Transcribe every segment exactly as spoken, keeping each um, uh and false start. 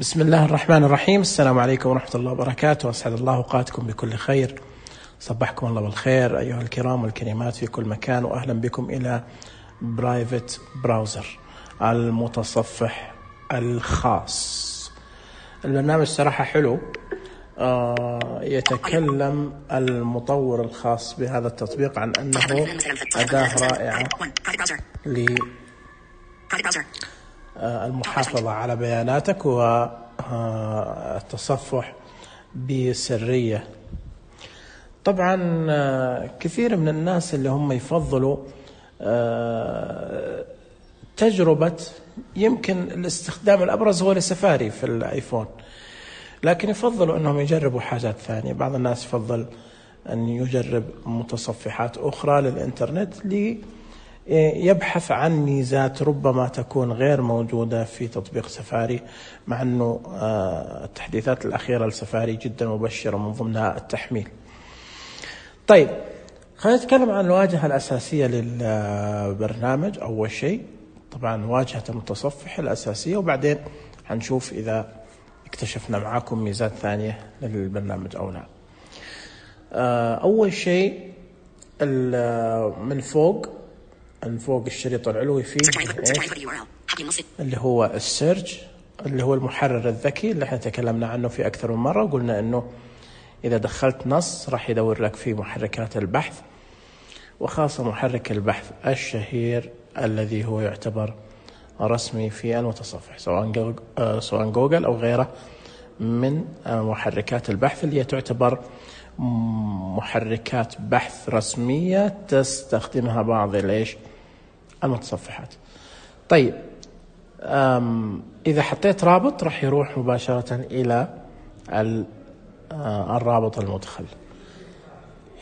بسم الله الرحمن الرحيم. السلام عليكم ورحمة الله وبركاته. أسعد الله أوقاتكم بكل خير. صبحكم الله بالخير أيها الكرام والكريمات في كل مكان، وأهلا بكم إلى برايفت براوزر، المتصفح الخاص. البرنامج صراحة حلو. آه يتكلم المطور الخاص بهذا التطبيق عن أنه أداة رائعة للمحافظة على بياناتك والتصفح بسرية. طبعا كثير من الناس اللي هم يفضلوا تجربة، يمكن الاستخدام الأبرز هو لسفاري في الآيفون، لكن يفضلوا أنهم يجربوا حاجات ثانية. بعض الناس يفضل أن يجرب متصفحات أخرى للإنترنت ليبحث عن ميزات ربما تكون غير موجودة في تطبيق سفاري، مع أنه التحديثات الأخيرة لسفاري جدا مبشرة، من ضمنها التحميل. طيب خلينا نتكلم عن الواجهة الأساسية للبرنامج. أول شيء طبعا واجهة المتصفح الأساسية، وبعدين هنشوف إذا اكتشفنا معاكم ميزات ثانية للبرنامج أو لا. أول شيء من فوق من فوق الشريط العلوي فيه اللي هو السيرش، اللي هو المحرر الذكي اللي احنا تكلمنا عنه في أكثر من مرة، وقلنا أنه إذا دخلت نص راح يدور لك في محركات البحث، وخاصة محرك البحث الشهير الذي هو يعتبر رسمي في المتصفح، سواء جوجل, سواء جوجل أو غيره من محركات البحث اللي تعتبر محركات بحث رسمية تستخدمها بعض ليش المتصفحات. طيب إذا حطيت رابط راح يروح مباشرة إلى الرابط المدخل.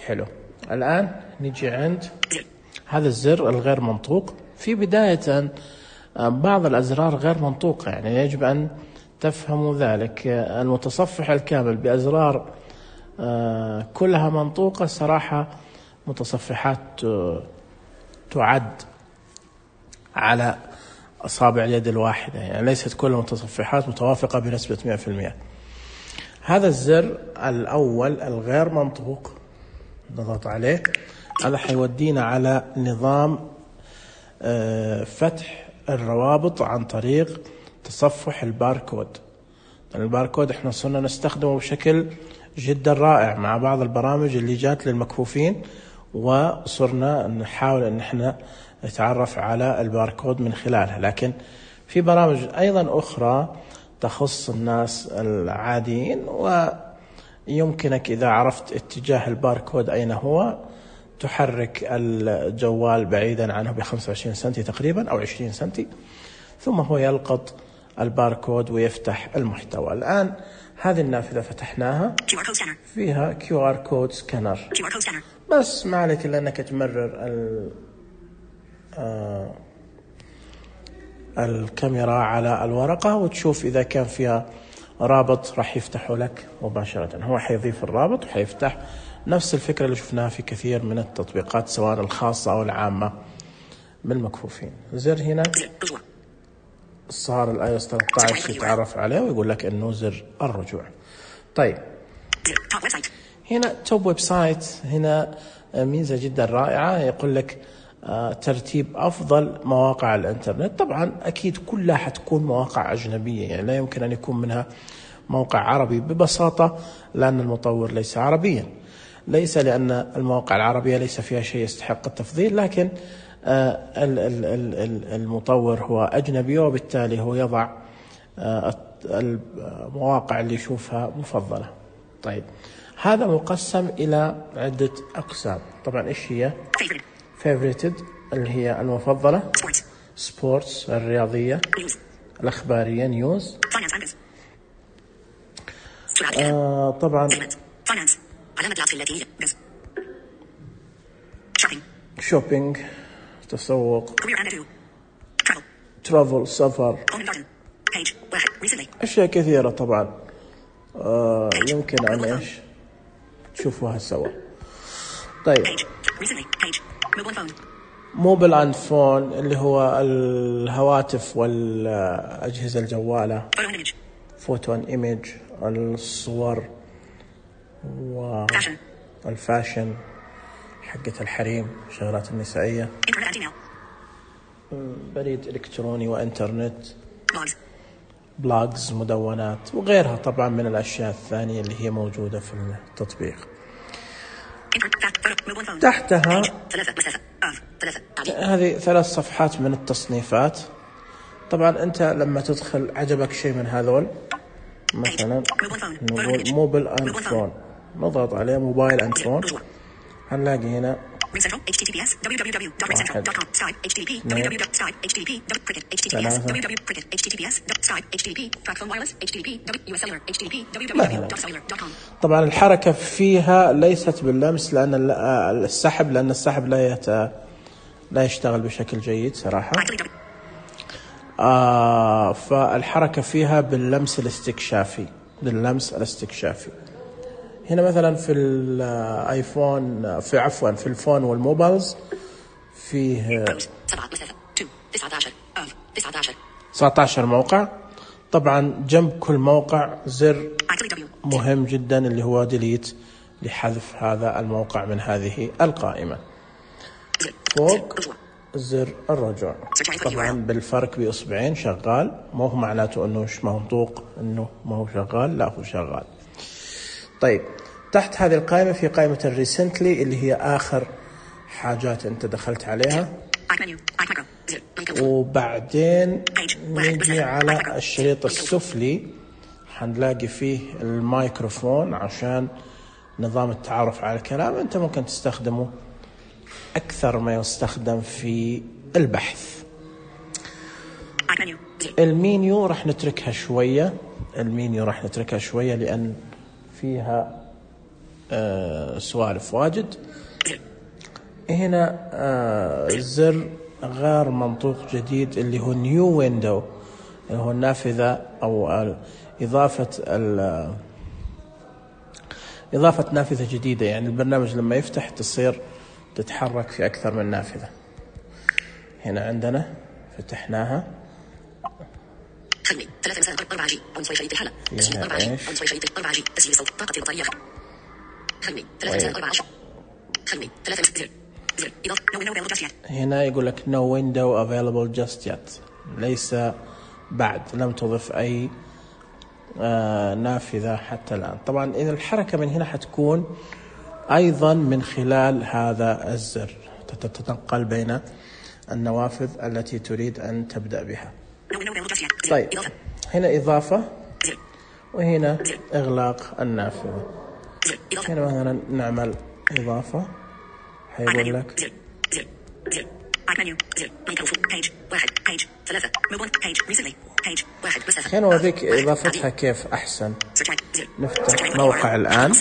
حلو. الآن نجي عند هذا الزر الغير منطوق. في بداية بعض الأزرار غير منطوقة، يعني يجب أن تفهموا ذلك. المتصفح الكامل بأزرار كلها منطوقة صراحة متصفحات تعد على أصابع اليد الواحدة، يعني ليست كل المتصفحات متوافقة بنسبة مئة في المئة. هذا الزر الأول الغير منطوق نضغط عليه، هذا حيودينا على نظام فتح الروابط عن طريق تصفح الباركود. الباركود احنا صرنا نستخدمه بشكل جدا رائع مع بعض البرامج اللي جات للمكفوفين، وصرنا نحاول ان احنا نتعرف على الباركود من خلالها، لكن في برامج ايضا اخرى تخص الناس العاديين، ويمكنك اذا عرفت اتجاه الباركود اين هو تحرك الجوال بعيدا عنه بخمسة وعشرين سنتي تقريبا أو عشرين سنتي، ثم هو يلقط الباركود ويفتح المحتوى. الآن هذه النافذة فتحناها، فيها كيو آر كود سكانر، بس ما عليك إلا أنك تمرر ال آه الكاميرا على الورقة وتشوف إذا كان فيها رابط راح يفتحه لك مباشرة. هو حيضيف الرابط وحيفتح نفس الفكرة اللي شفناها في كثير من التطبيقات سواء الخاصة أو العامة بالمكفوفين. زر هنا صار الاي او اس ثلاثة عشر يتعرف عليه ويقول لك انه زر الرجوع. طيب هنا توب ويب سايت، هنا ميزة جدا رائعة، يقول لك ترتيب أفضل مواقع الإنترنت. طبعا أكيد كلها حتكون مواقع أجنبية، يعني لا يمكن أن يكون منها موقع عربي ببساطة، لأن المطور ليس عربيا، ليس لأن المواقع العربية ليس فيها شيء يستحق التفضيل، لكن المطور هو أجنبي، وبالتالي هو يضع المواقع اللي يشوفها مفضلة. طيب هذا مقسم إلى عدة أقسام. طبعا إيش هي؟ favorited اللي هي المفضلة، سبورتس الرياضية، الأخبارية نيوز، آه طبعا شوبينج تسوق، ترافل سفر، أشياء كثيرة طبعا آه يمكن أن إيش تشوفوها سوا. طيب موبل اند فون اللي هو الهواتف والأجهزة الجوالة، فوتو ان ايميج، الصور والفاشن حقة الحريم، شغلات النسائية، بريد إلكتروني وإنترنت، بلوجز، مدونات، وغيرها طبعا من الأشياء الثانية اللي هي موجودة في التطبيق. تحتها هذه ثلاث صفحات من التصنيفات. طبعا أنت لما تدخل عجبك شيء من هذول، مثلا نقول موبايل أند فون، نضغط عليه موبايل أند فون، هنلاقي هنا طبعا الحركة فيها ليست باللمس لأن السحب لأن السحب لا يت... لا يشتغل بشكل جيد صراحة. آه فالحركة فيها باللمس الاستكشافي، باللمس الاستكشافي. هنا مثلا في الايفون، في عفوا في الفون والموبايلز فيه تسعة عشر موقع. طبعا جنب كل موقع زر مهم جدا اللي هو ديليت، لحذف هذا الموقع من هذه القائمة. فوق زر الرجوع، طبعا بالفرق بإصبعين شغال، مو هو معناته انه مش منطوق انه ما هو شغال، لا هو شغال. طيب تحت هذه القائمة في قائمة الريسنتلي اللي هي آخر حاجات أنت دخلت عليها، وبعدين نجي على الشريط السفلي حنلاقي فيه الميكروفون عشان نظام التعرف على الكلام. أنت ممكن تستخدمه أكثر ما يستخدم في البحث. المينيو راح نتركها شوية، المينيو راح نتركها شوية لأن فيها آه سوالف واجد. هنا آه زر غير منطوق جديد اللي هو نيو ويندو، اللي هو النافذة أو إضافة إضافة نافذة جديدة. يعني البرنامج لما يفتح تصير تتحرك في أكثر من نافذة. هنا عندنا فتحناها، خدمي ثلاثة مساء أربعة جي عنصري شريط الحالة تسجيل أربعة جي عنصري شريط أربعة جي تسجيل صوت طاقة البطارية. خدمي ثلاثة مساء أربعة عشر خدمي ثلاثة مساء زر إضافة no window available just yet. هنا يقول لك no window available just yet، ليس بعد، لم تضف أي آه نافذة حتى الآن. طبعا إذا الحركة من هنا حتكون أيضا من خلال هذا الزر، تتنقل بين النوافذ التي تريد أن تبدأ بها. طيب هنا إضافة، وهنا إغلاق النافذة. هنا مثلا نعمل إضافة، حيقول لك هنا وذيك إضافتها كيف أحسن. نفتح موقع الآن،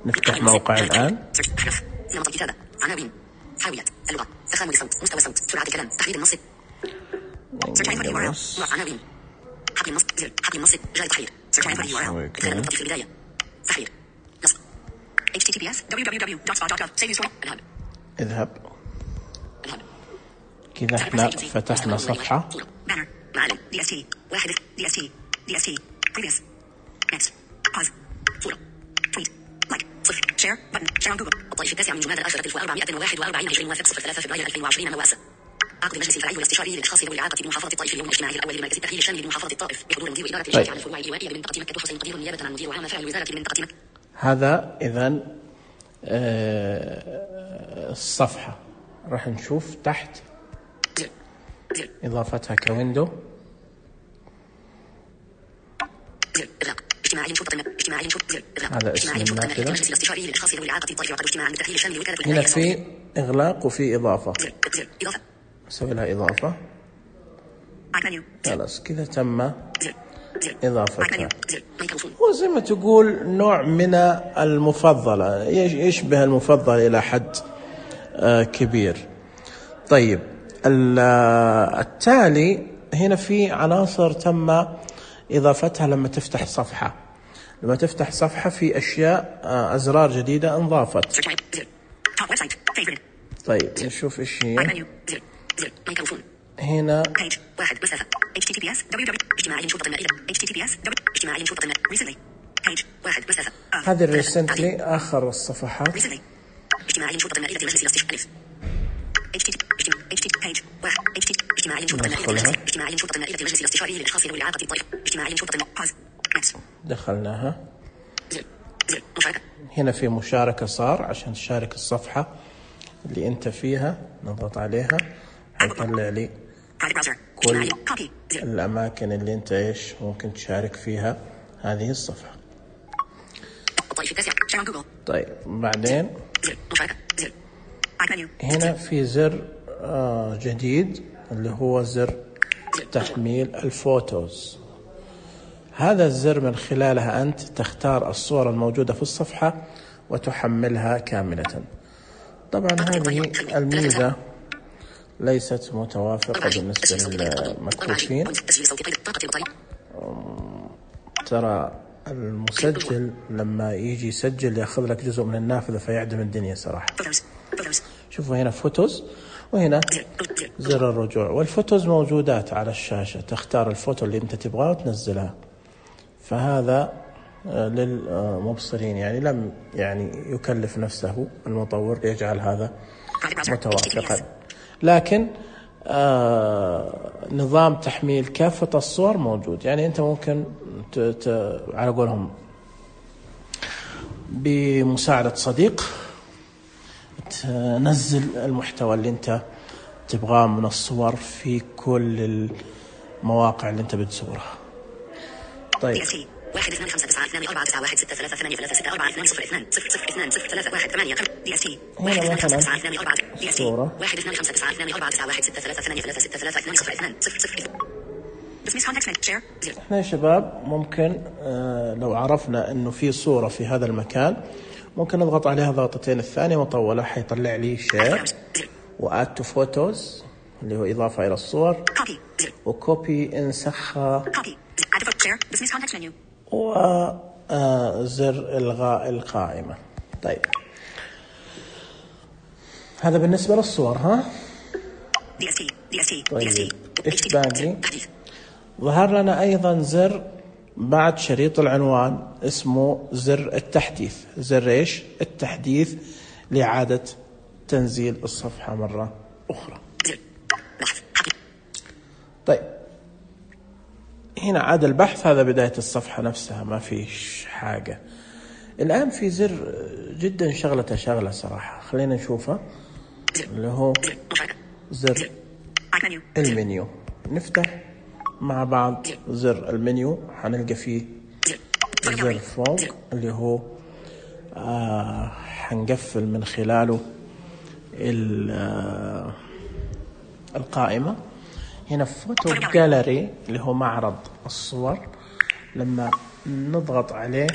نفتح موقع الآن. نمط الكتابة، عناوين، حاويات، اللغة، تخامل الصوت، مستوى الصوت، سرعة الكلام، تحديد النص. عناوين، حقل النص، زر، حقل النص، جاء تحرير، إدخال النقطة في البداية، تحرير، نص. إتش تي تي بي إس دبليو دبليو دبليو دوت سبوت دوت جوف سيف يور اذهب. اذهب. اذهب. كذا احنا فتحنا صفحة. بانر، معلم، دي اس تي، واحد، دي اس تي، دي اس تي، previous، next، pause، صورة، tweet، لايك، صفر، شير، بutton، شير on جوجل. الطائف التاسع من جماد الآخرة ألف وأربعمائة وواحد وأربعين عشرين موافق صفر ثلاثة فبراير ألفين وعشرين مواسى. عقد المجلس الفرعي والاستشاري للأشخاص ذوي الإعاقة بمحافظة الطائف اليوم الاجتماعي الأول للمركز التأهيلي الشامل بمحافظة الطائف بحضور مدير إدارة الإشراف على الفروع الإيوائية بمنطقة مكة حسين قدير نيابة عن مدير عام فعل الوزارة بمنطقة مكة. هذا إذن آه الصفحة. راح نشوف تحت إضافتها كويندو. هذا اسم النافذة. هنا في إغلاق وفي إضافة، أسوي لها إضافة. خلاص كذا تم إضافتها. وزي ما تقول نوع من المفضلة، يشبه المفضل إلى حد كبير. طيب التالي هنا في عناصر تم إضافتها لما تفتح صفحة. لما تفتح صفحة في أشياء أزرار جديدة انضافت. طيب نشوف إيش هي. هنا page واحد مسافة إتش تي تي بي إس دبليو دبليو اجتماعي شرطة المائدة إتش تي تي بي إس اجتماعي شرطة المائدة recently page واحد مسافة هذه recently آخر الصفحات recently اجتماعي شرطة المائدة مجلس الاستشفاء ألف إتش تي إتش تي page واحد إتش تي اجتماعي شرطة المائدة مجلس اجتماعي شرطة المائدة مجلس الاستشاري للأشخاص ذوي الإعاقة الطريق اجتماعي شرطة المائدة pause دخلناها. زر زر مشاركة. هنا في مشاركة صار عشان تشارك الصفحة اللي أنت فيها، نضغط عليها هيطلع لي كل الأماكن اللي أنت إيش ممكن تشارك فيها هذه الصفحة. طيب بعدين هنا في زر آه جديد اللي هو زر تحميل الفوتوز. هذا الزر من خلالها أنت تختار الصور الموجودة في الصفحة وتحملها كاملة. طبعا هذه الميزة ليست متوافقة بالنسبة للمكفوفين. ترى المسجل لما يجي يسجل ياخذ لك جزء من النافذة فيعدم الدنيا صراحة. شوفوا هنا فوتوز وهنا زر الرجوع، والفوتوز موجودات على الشاشة، تختار الفوتو اللي انت تبغاه وتنزلها. فهذا للمبصرين، يعني لم يعني يكلف نفسه المطور ليجعل هذا متوافقا. لكن آه نظام تحميل كافة الصور موجود، يعني أنت ممكن ت ت على قولهم بمساعدة صديق تنزل المحتوى اللي أنت تبغاه من الصور في كل المواقع اللي أنت بتزورها. طيب واحد اثنان خمسة تسعة اثنان أربعة تسعة واحد ستة ثلاثة ثمانية ثلاثة ستة أربعة اثنان صفر اثنان صفر صفر اثنان صفر ثلاثة واحد ثمانية دي اس تي واحد اثنان خمسة تسعة اثنان أربعة دي اس تي واحد اثنان خمسة تسعة اثنان أربعة تسعة واحد ستة ثلاثة ثمانية ثلاثة ستة ثلاثة اثنان صفر اثنان صفر صفر. Dismiss context menu share. احنا يا شباب ممكن آه لو عرفنا انه في صورة في هذا المكان ممكن نضغط عليها ضغطتين الثانية مطولة حيطلع لي شير واد تو فوتوز اللي هو إضافة إلى الصور وكوبي انسخها وزر إلغاء القائمة. طيب هذا بالنسبة للصور. ها طيب إيش باقي؟ ظهر لنا أيضا زر بعد شريط العنوان اسمه زر التحديث. زر إيش؟ التحديث لإعادة تنزيل الصفحة مرة أخرى. طيب هنا عاد البحث، هذا بداية الصفحة نفسها ما فيش حاجة. الآن في زر جدا شغلة شغلة صراحة، خلينا نشوفه اللي هو زر المنيو. نفتح مع بعض زر المنيو، حنلقى فيه زر فوق اللي هو آه حنقفل من خلاله آه القائمة. هنا فوتو جاليري اللي هو معرض الصور، لما نضغط عليه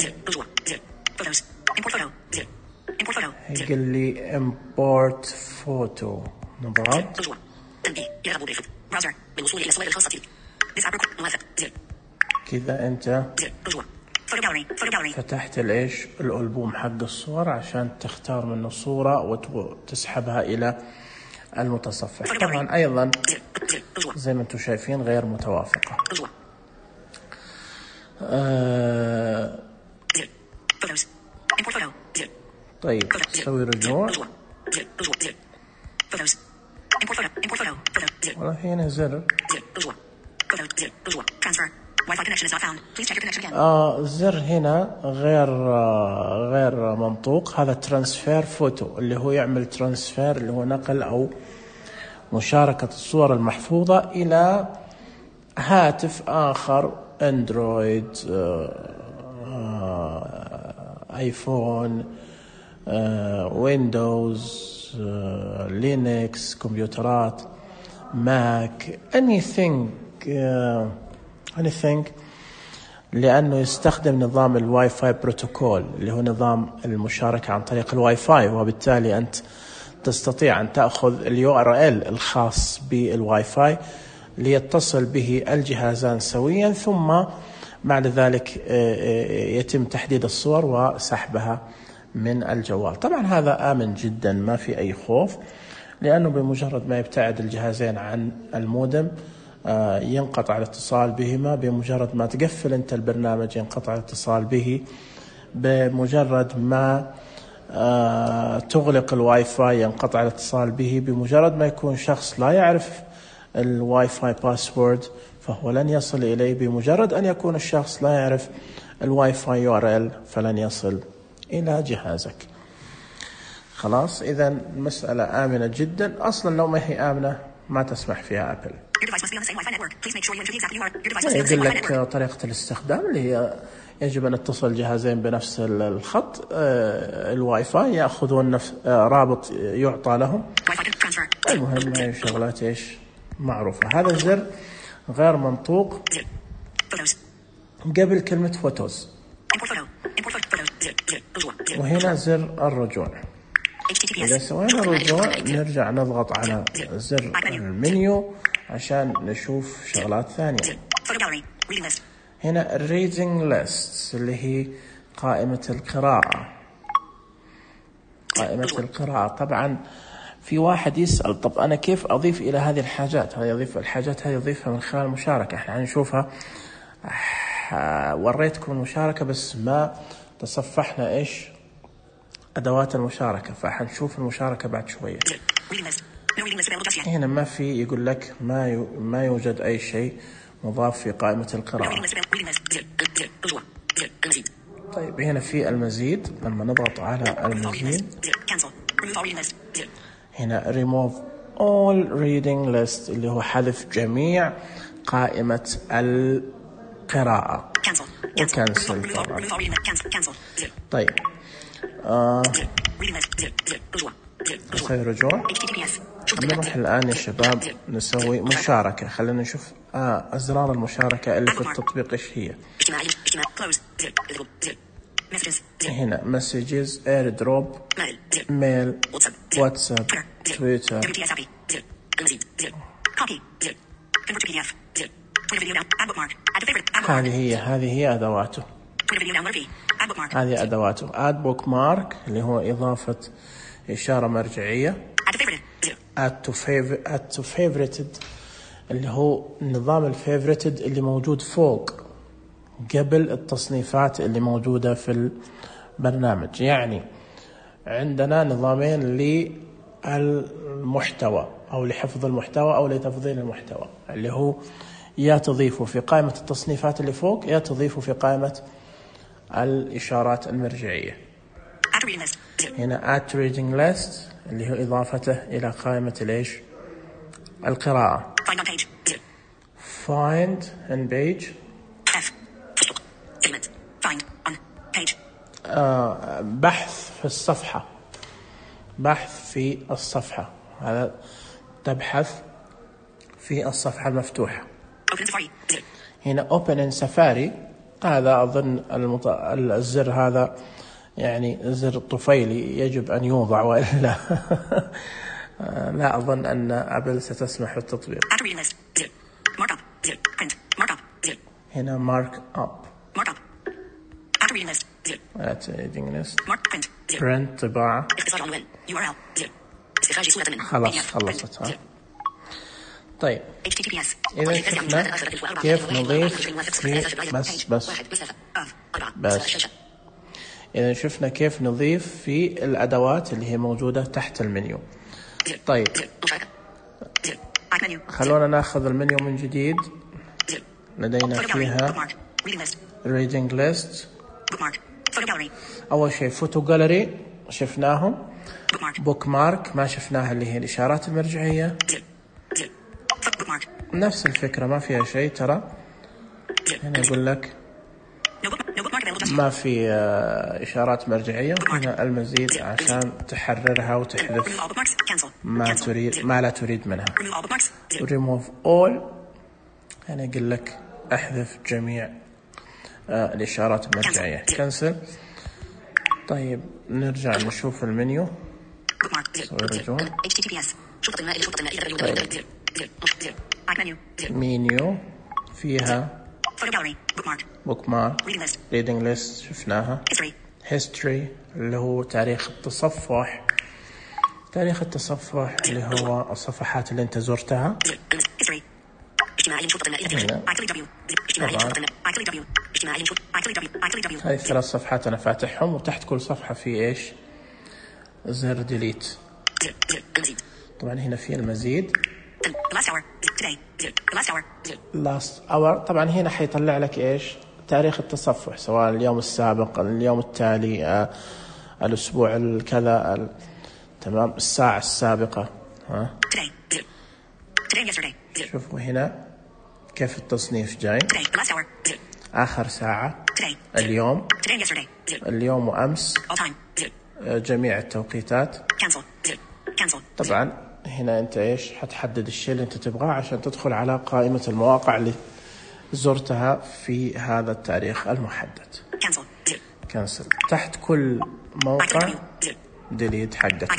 هيقول لي import photo. نضغط كذا انت فتحت الايش الألبوم حق الصور عشان تختار منه صورة وتسحبها الى المتصفح. طبعا ايضا زي ما انتم شايفين غير متوافقة. آه طيب سوي رجوع والله هنا زر آه زر هنا غير آه غير منطوق. هذا ترانسفير فوتو اللي هو يعمل ترانسفير اللي هو نقل أو مشاركة الصور المحفوظة إلى هاتف آخر، أندرويد آه آه آيفون آه ويندوز آه لينكس، كمبيوترات ماك، anything uh, anything لأنه يستخدم نظام الواي فاي بروتوكول اللي هو نظام المشاركة عن طريق الواي فاي، وبالتالي أنت تستطيع أن تأخذ اليو ار ال الخاص بالواي فاي ليتصل به الجهازان سويا، ثم بعد ذلك يتم تحديد الصور وسحبها من الجوال. طبعا هذا آمن جدا ما في أي خوف، لأنه بمجرد ما يبتعد الجهازين عن المودم ينقطع الاتصال بهما. بمجرد ما تقفل أنت البرنامج ينقطع الاتصال به. بمجرد ما تغلق الواي فاي ينقطع الاتصال به. بمجرد ما يكون شخص لا يعرف الواي فاي باسورد فهو لن يصل إليه. بمجرد أن يكون الشخص لا يعرف الواي فاي يو آر إل فلن يصل إلى جهازك. خلاص، إذا المسألة آمنة جدا. أصلا لو ما هي آمنة ما تسمح فيها أبل. يقول لك طريقة الاستخدام اللي هي يجب أن اتصل الجهازين بنفس الخط الواي فاي، يأخذون نفس رابط يعطى لهم. المهم هاي شغلات إيش معروفة. هذا الزر غير منطوق قبل كلمة فوتوز، وهنا زر الرجوع. إذا سوينا الرجوع نرجع نضغط على زر المنيو عشان نشوف شغلات ثانية. هنا reading lists اللي هي قائمة القراءة. قائمة القراءة طبعا في واحد يسأل طب أنا كيف أضيف إلى هذه الحاجات؟ هذه يضيف الحاجات هذه يضيفها من خلال المشاركة. احنا هنشوفها. وريتكم المشاركة بس ما تصفحنا إيش أدوات المشاركة، فحنشوف المشاركة بعد شوية. هنا ما في، يقول لك ما يو ما يوجد أي شيء مضاف في قائمة القراءة. طيب هنا في المزيد. لما نضغط على المزيد هنا remove all reading list اللي هو حذف جميع قائمة القراءة وكنسل طبعا. طيب آه. نسوي رجوع. نروح الآن يا شباب نسوي مشاركة. خلينا نشوف آه أزرار المشاركة اللي في التطبيق إيش هي. هنا messages, airdrop, mail, واتساب, تويتر. هذه هي هذه هي أدواته. هذه أدواته. add bookmark اللي هو إضافة إشارة مرجعية. add to favorite add to favorited اللي هو نظام الفيفوريتد اللي موجود فوق قبل التصنيفات اللي موجودة في البرنامج. يعني عندنا نظامين للمحتوى أو لحفظ المحتوى أو لتفضيل المحتوى، اللي هو يا تضيفه في قائمة التصنيفات اللي فوق يا تضيفه في قائمة الإشارات المرجعية. هنا add to reading list اللي هو إضافته إلى قائمة ليش القراءة. find on page آه بحث في الصفحة. بحث في الصفحة. هذا تبحث في الصفحة المفتوحة. هنا open in safari. هذا أظن المط... الزر هذا يعني زر طفيلي يجب أن يوضع وإلا لا أظن أن أبل ستسمح بالتطبيق. هنا mark up. print طباعة. خلاص خلصتها. طيب إذا شفنا كيف نضيف في بس بس بس إذا شفنا كيف نضيف في الأدوات اللي هي موجودة تحت المنيو. طيب خلونا ناخذ المنيو من جديد. لدينا فيها reading list. أول شيء فوتو جاليري شفناهم. بوك مارك ما شفناها اللي هي الإشارات المرجعية. نفس الفكرة ما فيها شيء ترى. هنا يقول لك ما في إشارات مرجعية. هنا المزيد عشان تحررها وتحذف ما تريد ما لا تريد منها. remove all هنا يقول لك أحذف جميع الإشارات المرجعية. كنسل. طيب نرجع نشوف المنيو. سوي رجوع. طيب. منيو فيها bookmark, reading list شفناها. history اللي هو تاريخ التصفح. تاريخ التصفح اللي هو الصفحات اللي انت زرتها. هاي الثلاث صفحات انا فاتحهم، وتحت كل صفحة في ايش؟ زر ديليت. طبعا هنا في المزيد last hour. طبعا هنا حيطلع لك ايش؟ تاريخ التصفح، سواء اليوم السابق، اليوم التالي، آه، الاسبوع الكذا، ال... تمام، الساعة السابقة. ها شوفوا هنا كيف التصنيف جاي. آخر ساعة، اليوم، اليوم وأمس، جميع التوقيتات. طبعا هنا أنت إيش حتحدد الشيء اللي أنت تبغاه عشان تدخل على قائمة المواقع اللي زرتها في هذا التاريخ المحدد. كنسل. تحت كل موقع ديليت حقك.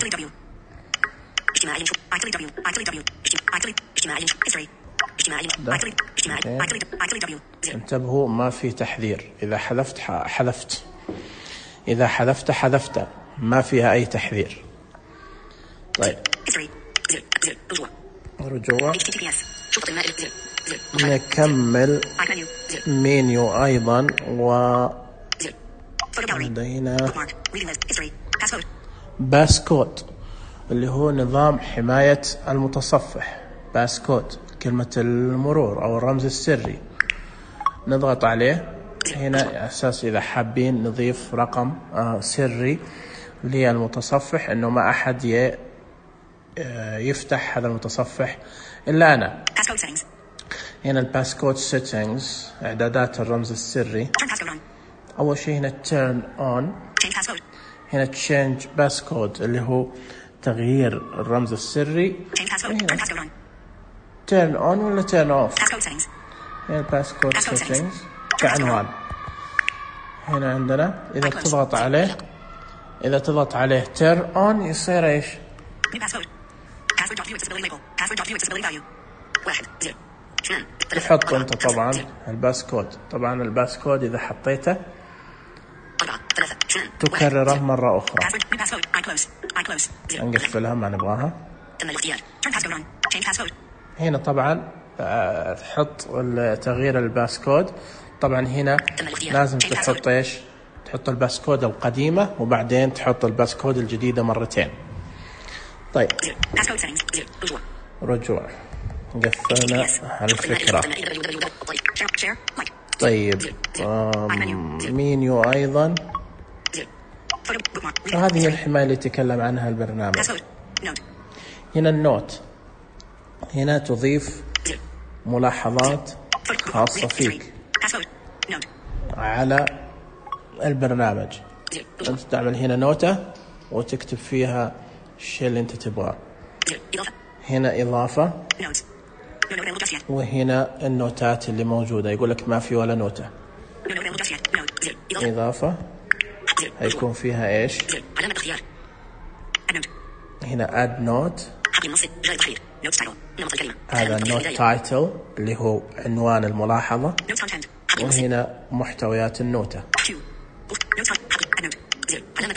انتبهوا ما في تحذير، إذا حذفت حذفت، إذا حذفت حذفت، ما فيها أي تحذير. طيب رجوع. نكمل مينيو أيضا، و لدينا باسكود اللي هو نظام حماية المتصفح. باسكود كلمة المرور أو الرمز السري. نضغط عليه هنا على أساس إذا حابين نضيف رقم سري للمتصفح، إنه ما أحد يفتح هذا المتصفح إلا أنا. هنا الباسكود سيتنجز، إعدادات الرمز السري. أول شيء هنا turn on، هنا change passcode اللي هو تغيير الرمز السري. turn on ولا turn off. هنا الباسكود settings كعنوان. هنا عندنا إذا تضغط عليه، إذا تضغط عليه turn on يصير إيش؟ تحط أنت طبعا الباسكود. طبعا الباسكود إذا حطيته تكرره مرة أخرى. نقفلها ما نبغاها. هنا طبعا تحط تغيير الباسكود. طبعا هنا لازم تحط إيش؟ تحط الباسكود القديمة وبعدين تحط الباسكود الجديدة مرتين. طيب رجوع. قفلنا هالفكرة. طيب مينيو أيضا، هذه الحماية اللي تكلم عنها البرنامج. هنا النوت، هنا تضيف ملاحظات خاصة فيك على البرنامج. أنت تعمل هنا نوتة وتكتب فيها الشيء اللي أنت تبغاه. هنا إضافة، وهنا النوتات اللي موجودة. يقول لك ما في ولا نوتة. إضافة هيكون فيها إيش؟ هنا add note، هذا النوت تايتل اللي هو عنوان الملاحظة، وهنا محتويات النوتة،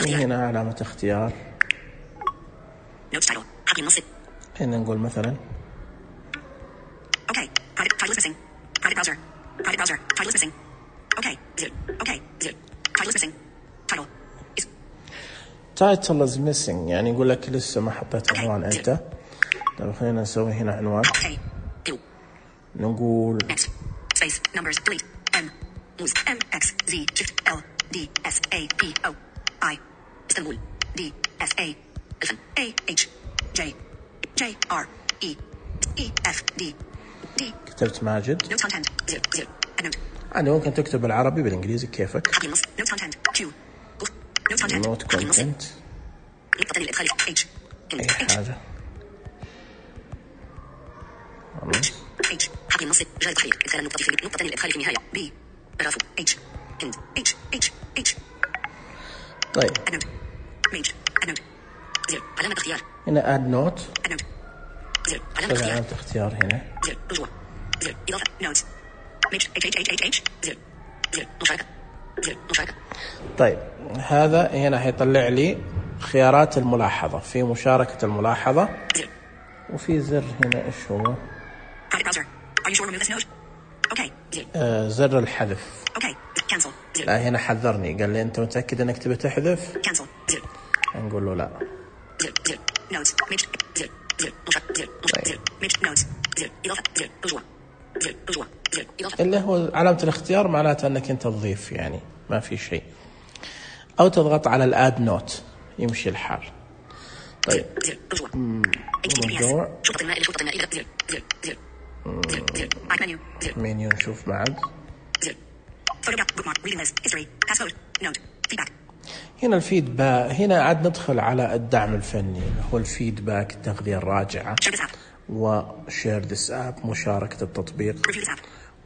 وهنا علامة اختيار. هنا نقول مثلا title is missing، يعني يقول لك لسه ما حطيت عنوان أنت. طيب خلينا نسوي هنا عنوان. نقول كتبت ماجد. أنا ممكن تكتب بالعربي بالإنجليزي كيفك. نوت كونتنت أي حاجة. حقل النص جاء التحرير إدخال النقطة في نقطة الإدخال في النهاية بي برافو اتش اند اتش اتش اتش. طيب ميج أدنوت زر علامة اختيار. هنا اد نوت أدنوت زر علامة اختيار. هنا زر رجوع زر إضافة نوت ميج اتش اتش اتش اتش زر زر مشاركة زر مشاركة. طيب هذا هنا هيطلع لي خيارات الملاحظة، في مشاركة الملاحظة، وفي زر هنا إيش هو؟ آه زر الحذف. لا هنا حذرني، قال لي أنت متأكد أنك تبي تحذف؟ نقول له لا. اللي هو علامة الاختيار معناته أنك أنت تضيف، يعني ما في شيء. أو تضغط على الآد نوت يمشي الحال. طيب موضوع منيو نشوف بعد. هنا الفيدباك، هنا عاد ندخل على الدعم الفني، هو الفيدباك، التغذية الراجعة، وشير ذيس اب، مشاركة التطبيق،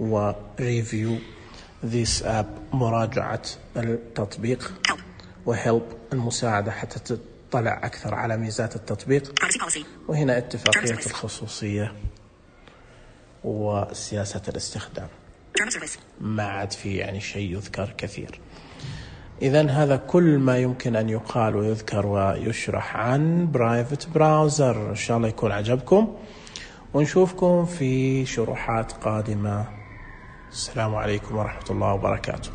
وريفيو ذيس اب، مراجعة التطبيق، وهيلب، المساعدة حتى تطلع أكثر على ميزات التطبيق، وهنا اتفاقية الخصوصية وسياسة الاستخدام. ما عاد في يعني شيء يذكر كثير. إذن هذا كل ما يمكن أن يقال ويذكر ويشرح عن برايفت براوزر. إن شاء الله يكون عجبكم، ونشوفكم في شروحات قادمة. السلام عليكم ورحمة الله وبركاته.